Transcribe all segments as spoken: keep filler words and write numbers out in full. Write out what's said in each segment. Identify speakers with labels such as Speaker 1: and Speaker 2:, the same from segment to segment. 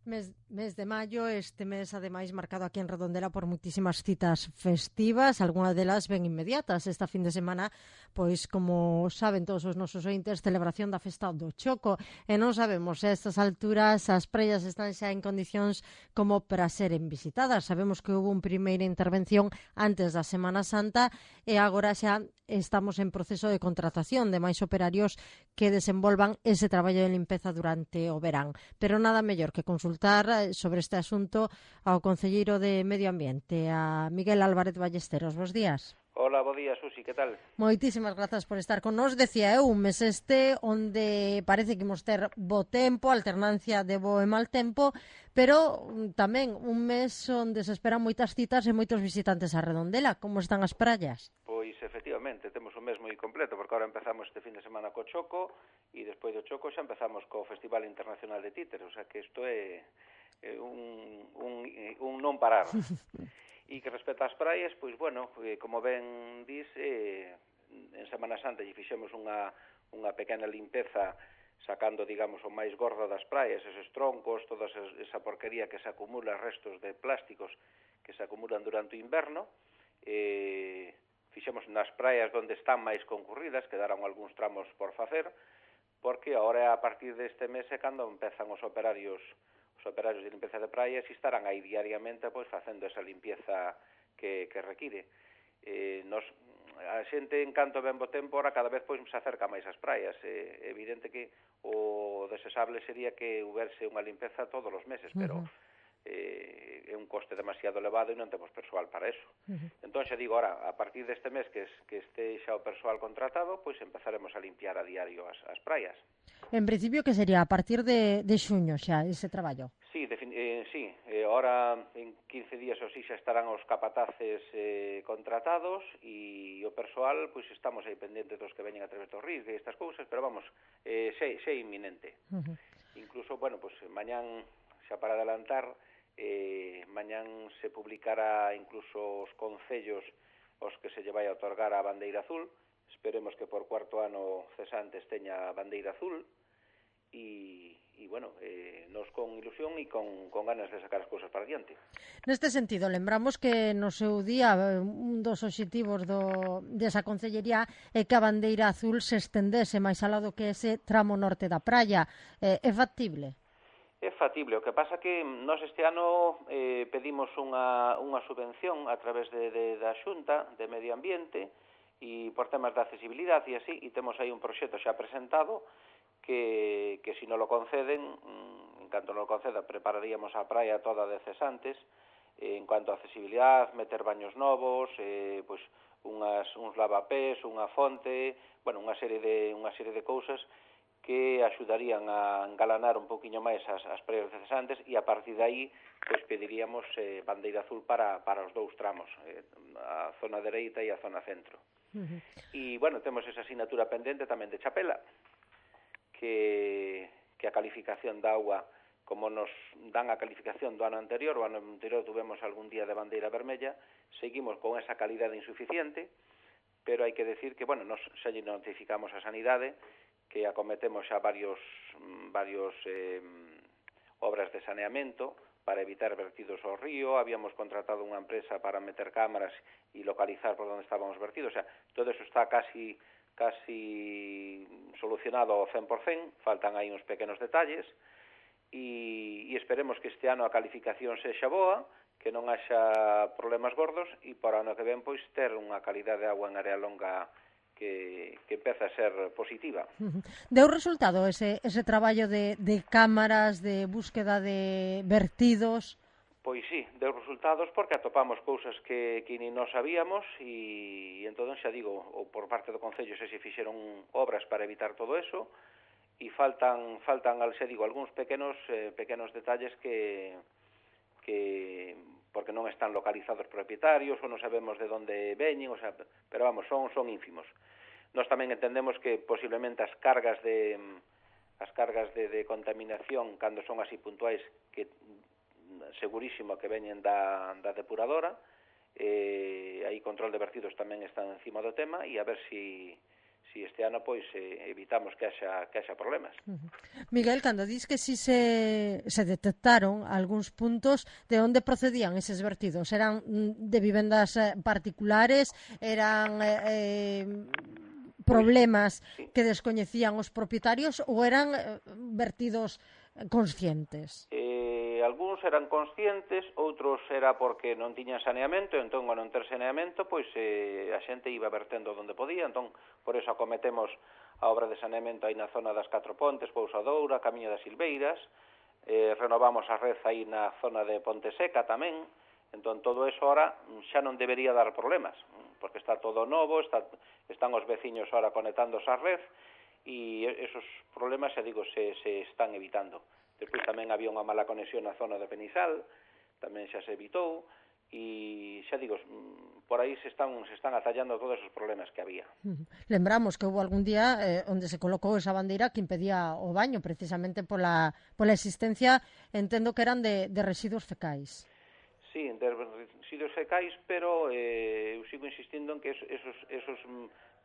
Speaker 1: Mes, mes de maio, este mes ademais marcado aquí en Redondela por moitísimas citas festivas, algunhas delas ben inmediatas. Esta fin de semana, pois como saben todos os nosos ointes, celebración da festa do Choco, e non sabemos se a estas alturas as praias están xa en condicións como para seren visitadas. Sabemos que houve unha primeira intervención antes da Semana Santa e agora xa estamos en proceso de contratación de máis operarios que desenvolvan ese traballo de limpeza durante o verán. Pero nada mellor que consultar sobre este asunto ao concelleiro de Medio Ambiente, a Miguel Álvarez Ballesteros. Bos días.
Speaker 2: Hola, bo día, Susi, que tal?
Speaker 1: Moitísimas grazas por estar con nos. Decía eu, un mes este onde parece que imos ter bo tempo, alternancia de bo e mal tempo, pero tamén un mes onde se esperan moitas citas e moitos visitantes a Redondela. Como están as praias?
Speaker 2: Pois, efectivamente, temos un mes moi completo, porque ahora empezamos este fin de semana co Choco, e despois do Choco xa empezamos co Festival Internacional de Títeres, o sea que isto é, é un, un, un non parar. E que respecta ás praias, pois, bueno, eh, como ben dis, eh, en Semana Santa lle fixemos unha, unha pequena limpeza sacando, digamos, o máis gordo das praias, eses troncos, toda esa porquería que se acumula, restos de plásticos que se acumulan durante o inverno. Eh, fixemos nas praias onde están máis concurridas, quedaron algúns tramos por facer, porque agora a partir deste mes é cando empezan os operarios os operarios de limpeza de praias e estarán aí diariamente pois facendo esa limpieza que, que require. Eh, nos, a xente en canto ben bo tempo, ahora cada vez pois se acerca máis ás praias. É eh, evidente que o desexable sería que huberse unha limpeza todos os meses, pero eh, é un coste demasiado elevado e non temos persoal para eso. Uh-huh. Entón, xa digo, ahora, a partir deste mes que, es, que este xa o persoal contratado, pois empezaremos a limpiar a diario as, as praias.
Speaker 1: En principio, que sería a partir de, de xuño xa ese traballo?
Speaker 2: Sí, eh, sí. Eh, ahora en quince días ou así xa estarán os capataces eh, contratados e o persoal, pois estamos aí pendentes dos que veñen a través dos ríos e estas cousas, pero vamos, eh, xe, xe inminente. Uh-huh. Incluso, bueno, pois mañán, xa para adelantar, eh, mañán se publicará incluso os concellos os que se lle vai a otorgar a bandeira azul. Esperemos que por cuarto ano cesantes teña a bandeira azul e, e bueno, eh, nos con ilusión e con, con ganas de sacar as cousas para diante.
Speaker 1: Neste sentido, lembramos que no seu día un dos obxectivos do, desa concellería é que a bandeira azul se estendese máis alá do que ese tramo norte da praia. Eh, é factible?
Speaker 2: É factible, o que pasa que nós este ano eh, pedimos unha, unha subvención a través de, de, da Xunta de Medio Ambiente e por temas de accesibilidade e así, e temos aí un proxecto xa presentado que, que se non lo conceden, en canto non lo conceda, prepararíamos a praia toda de cesantes, eh, en cuanto a accesibilidade, meter baños novos, eh, pois unhas, uns lavapés, unha fonte, bueno, unha serie de, unha serie de cousas que axudarían a engalanar un poquinho máis as, as praias de cesantes e a partir de aí pois pediríamos eh, bandeira azul para, para os dous tramos, eh, a zona dereita e a zona centro. Uh-huh. E, bueno, temos esa asignatura pendente tamén de Chapela, que, que a calificación da agua, como nos dan a calificación do ano anterior, o ano anterior tuvemos algún día de bandeira vermella, seguimos con esa calidade insuficiente, pero hai que decir que, bueno, nos xa lle notificamos a Sanidade que acometemos xa varios, varios eh, obras de saneamento para evitar vertidos ao río, habíamos contratado unha empresa para meter cámaras e localizar por onde estábamos vertidos, o sea, todo eso está casi, casi solucionado ao cen por cen, faltan aí uns pequenos detalles, e, e esperemos que este ano a calificación sexa boa, que non haxa problemas gordos, e para o ano que ven, pois, ter unha calidade de agua en área longa que, que empeza a ser positiva.
Speaker 1: Deu resultado ese, ese traballo de, de cámaras, de búsqueda de vertidos?
Speaker 2: Pois sí, deu resultados porque atopamos cousas que, que ni nós sabíamos e, e entón xa digo, ou por parte do Concello se se fixeron obras para evitar todo eso e faltan, faltan xa digo, algúns pequenos, eh, pequenos detalles que, que porque non están localizados propietarios ou non sabemos de onde veñen, o sea, pero vamos, son, son ínfimos. Nós tamén entendemos que posiblemente as cargas de as cargas de, de contaminación, cando son así puntuais, que segurísimo que veñen da, da depuradora, eh, aí control de vertidos tamén están encima do tema, e a ver si, si si este ano pois eh, evitamos que haxa, que haxa problemas.
Speaker 1: Uh-huh. Miguel, cando dis que si se, se detectaron algúns puntos, de onde procedían eses vertidos? Eran de vivendas particulares? Eran eh, problemas
Speaker 2: pois, sí.
Speaker 1: que descoñecían os propietarios ou eran eh, vertidos conscientes?
Speaker 2: Eh, algúns eran conscientes, outros era porque non tiñan saneamento, entón, ao non ter saneamento, pois eh, a xente iba vertendo onde podía, entón, por eso acometemos a obra de saneamento aí na zona das Catro Pontes, Pousadoura, Camiño das Silveiras, eh, renovamos a red aí na zona de Ponte Seca tamén, entón, todo eso ahora xa non debería dar problemas, porque está todo novo, está, están os veciños ahora conectándose á red, e esos problemas, xa digo, se, se están evitando. Despois tamén había unha mala conexión na zona de Penisal, tamén xa se evitou, e xa digo, por aí se están, se están atallando todos os problemas que había.
Speaker 1: Lembramos que houve algún día eh, onde se colocou esa bandeira que impedía o baño, precisamente pola, pola existencia, entendo que eran de, de residuos fecais.
Speaker 2: Sí, de residuos fecais, pero eh, eu sigo insistindo en que esos, esos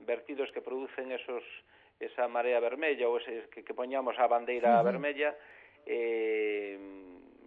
Speaker 2: vertidos que producen esos, esa marea vermella ou ese, que, que poñamos a bandeira uh-huh. vermella, eh,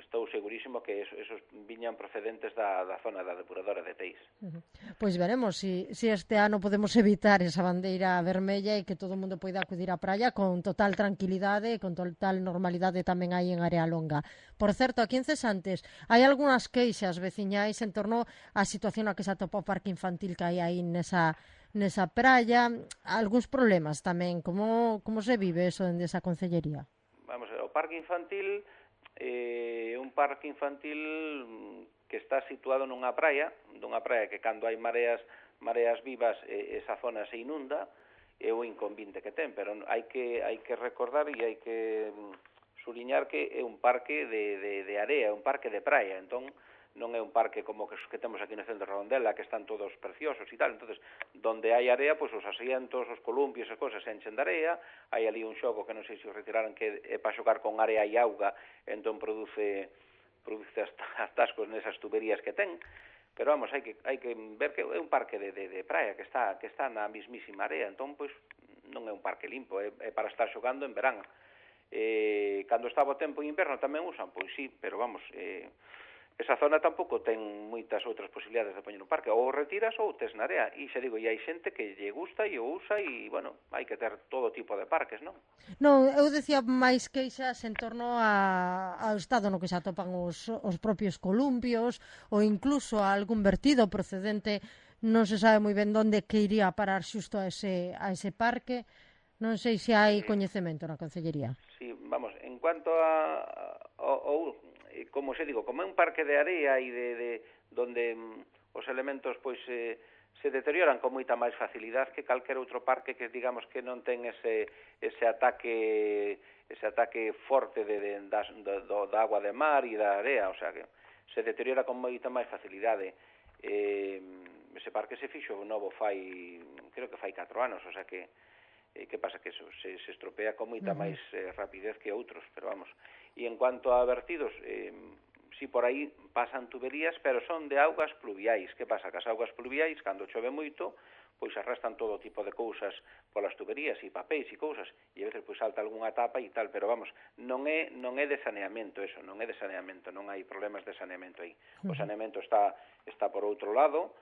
Speaker 2: estou segurísimo que esos, esos viñan procedentes da, da zona da depuradora de Teis.
Speaker 1: Uh-huh. Pois veremos si, si este ano podemos evitar esa bandeira vermella e que todo o mundo poida acudir á praia con total tranquilidade e con total normalidade tamén aí en Área Longa. Por certo, aquí en Cesantes hai algunhas queixas veciñais en torno á situación na que se atopa o parque infantil que hai aí nesa nesa praia, algúns problemas tamén. Como, como se vive eso dende esa concellería?
Speaker 2: Vamos a ver, o parque infantil é eh, un parque infantil que está situado nunha praia, dunha praia que cando hai mareas mareas vivas eh, esa zona se inunda, é o inconvinte que ten, pero hai que hai que recordar e hai que suliñar que é un parque de, de, de area, un parque de praia, entón non é un parque como que, que temos aquí no centro de Redondela, que están todos preciosos e tal. Entonces, donde hai area, pois os asientos, os columpios e cosas se enchen de area, hai ali un xogo que non sei se o retiraran que é para xogar con area e auga, entón produce produce atascos nesas tuberías que ten, pero vamos, hai que hai que ver que é un parque de, de, de praia que está que está na mismísima area, entón pois non é un parque limpo, é, é para estar xogando en verán. Eh, cando estaba o tempo en inverno tamén usan, pois sí, pero vamos, eh, esa zona tampouco ten moitas outras posibilidades de poñer un parque, ou retiras ou tes na area, e xa digo, e hai xente que lle gusta e o usa, e, bueno, hai que ter todo tipo de parques, non?
Speaker 1: Non, eu decía máis queixas en torno a, ao estado no que se atopan os, os propios columpios, ou incluso a algún vertido procedente, non se sabe moi ben onde que iría a parar xusto a ese, a ese parque. Non sei se hai coñecemento na Concellería.
Speaker 2: Sí, vamos, en cuanto a... a, a como se digo, como é un parque de area e de, de donde mm, os elementos pois eh, se deterioran con moita máis facilidade que calquer outro parque que digamos que non ten ese ese ataque ese ataque forte de, de das, do, do, da agua de mar e da area, o sea que se deteriora con moita máis facilidade. Eh, ese parque se fixo novo fai, creo que fai catro anos, o sea que eh, que pasa que eso se, se estropea con moita uh-huh. máis eh, rapidez que outros, pero vamos. E en cuanto a vertidos, eh, si por aí pasan tuberías, pero son de augas pluviais. Que pasa? Que as augas pluviais, cando chove moito, pois arrastran todo tipo de cousas polas tuberías e papéis e cousas, e a veces pois salta algunha tapa e tal, pero vamos, non é non é de saneamento eso, non é de saneamento, non hai problemas de saneamento aí. O saneamento está está por outro lado,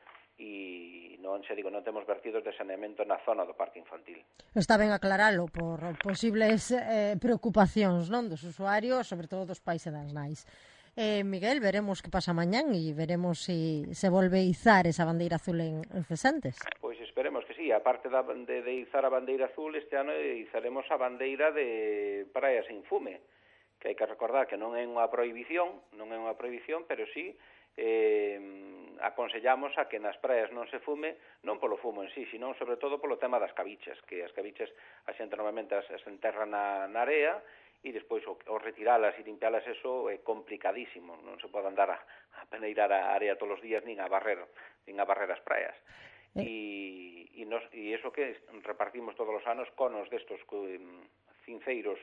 Speaker 2: e non, xa digo, non temos vertidos de saneamento na zona do parque infantil.
Speaker 1: Está ben aclaralo por posibles eh, preocupacións, non, dos usuarios, sobre todo dos pais e das nais. Eh, Miguel, veremos que pasa mañán e veremos se si se volve a izar esa bandeira azul en, en Cesantes.
Speaker 2: Pois esperemos que sí, aparte da, de, de izar a bandeira azul, este ano izaremos a bandeira de Praia Sin Fume, que hai que recordar que non é unha prohibición, non é unha prohibición, pero sí eh, aconsellamos a que nas praias non se fume, non polo fumo en sí, sino sobre todo polo tema das cabichas, que as cabichas a xente normalmente as, as enterra na, na area e despois o, o retiralas e limpialas eso é complicadísimo, non se pode andar a, a peneirar a área todos os días nin a barrer, nin a barrer as praias. Eh. E, e, nos, e eso que repartimos todos os anos conos destos um, cinceiros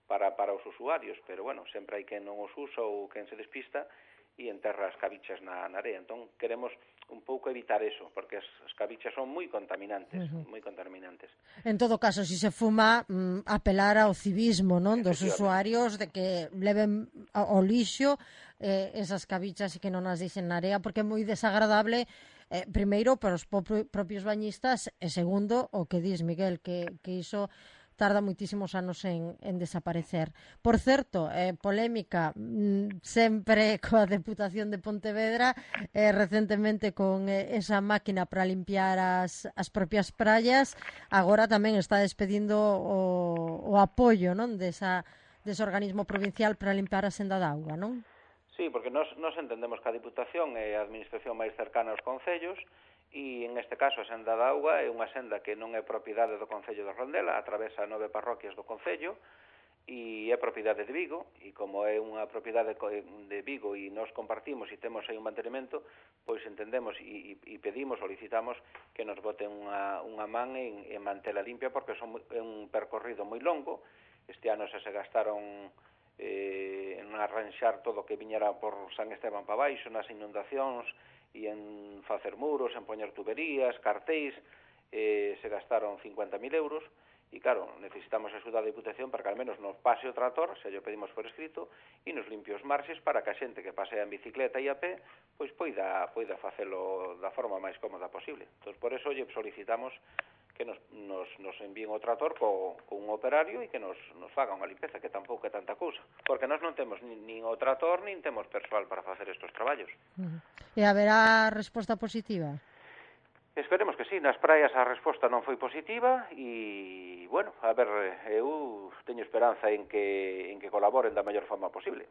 Speaker 2: para, para os usuarios, pero bueno, sempre hai quen non os usa ou quen se despista, e enterra as cabichas na, na area. Entón, queremos un pouco evitar eso, porque as, as cabichas son moi contaminantes, uh-huh. moi contaminantes.
Speaker 1: En todo caso, si se fuma, mm, apelar ao civismo, non, dos usuarios, de que leven ao lixo eh, esas cabichas e que non as deixen na area, porque é moi desagradable, eh, primeiro, para os propios bañistas, e segundo, o que dis, Miguel, que, que iso tarda moitísimos anos en, en desaparecer. Por certo, eh, polémica mm, sempre coa Deputación de Pontevedra, eh, recentemente con eh, esa máquina para limpiar as, as propias praias, agora tamén está despedindo o, o apoio, non, desa, dese organismo provincial para limpar a senda da auga, non?
Speaker 2: Sí, porque nos, nos entendemos que a Diputación é a administración máis cercana aos concellos, e en este caso a senda da auga é unha senda que non é propiedade do Concello de Rondela, atravesa nove parroquias do Concello e é propiedade de Vigo, e como é unha propiedade de Vigo e nos compartimos e temos aí un mantenimento, pois entendemos e, e pedimos, solicitamos que nos boten unha, unha man en, en mantela limpia, porque son, é un percorrido moi longo. Este ano xa se gastaron eh, en arranxar todo o que viñera por San Esteban para baixo, nas inundacións, e en facer muros, en poñer tuberías, cartéis, eh, se gastaron cincuenta mil euros, e claro, necesitamos a axuda da Diputación para que al menos nos pase o trator, se yo pedimos por escrito, e nos limpie os marxes para que a xente que pasea en bicicleta e a pé, pois poida, poida facelo da forma máis cómoda posible. Entón, por eso lle solicitamos que nos, nos, nos envíen o trator co, co un operario e que nos, nos faga unha limpeza, que tampouco é tanta cousa, porque nós non temos nin, nin o trator, nin temos persoal para facer estes traballos.
Speaker 1: Uh-huh. E haberá resposta positiva?
Speaker 2: Esperemos que sí, nas praias a resposta non foi positiva e, bueno, a ver, eu teño esperanza en que, en que colaboren da mellor forma posible.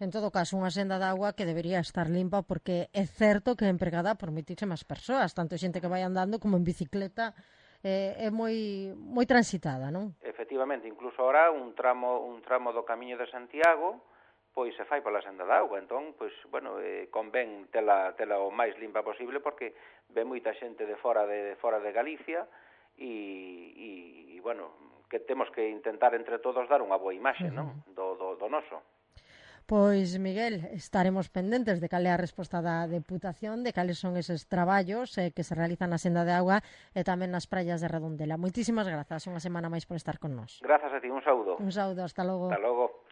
Speaker 1: En todo caso, unha senda de agua que debería estar limpa, porque é certo que é empregada por moitísimas persoas, tanto xente que vai andando como en bicicleta, eh, é moi moi transitada, non?
Speaker 2: Efectivamente, incluso ahora un tramo un tramo do Camiño de Santiago pois se fai pola senda da auga, entón, pois, bueno, eh, convén tela, tela o máis limpa posible, porque ve moita xente de fora de, de fora de Galicia e, e, bueno, que temos que intentar entre todos dar unha boa imaxe, uh-huh. non? Do, do, do noso.
Speaker 1: Pois, Miguel, estaremos pendentes de cal é a resposta da Deputación, de cales son eses traballos eh, que se realizan na senda de auga e tamén nas praias de Redondela. Moitísimas grazas, unha semana máis por estar con nós.
Speaker 2: Grazas a ti, un saúdo.
Speaker 1: Un saúdo, hasta logo.
Speaker 2: Hasta logo.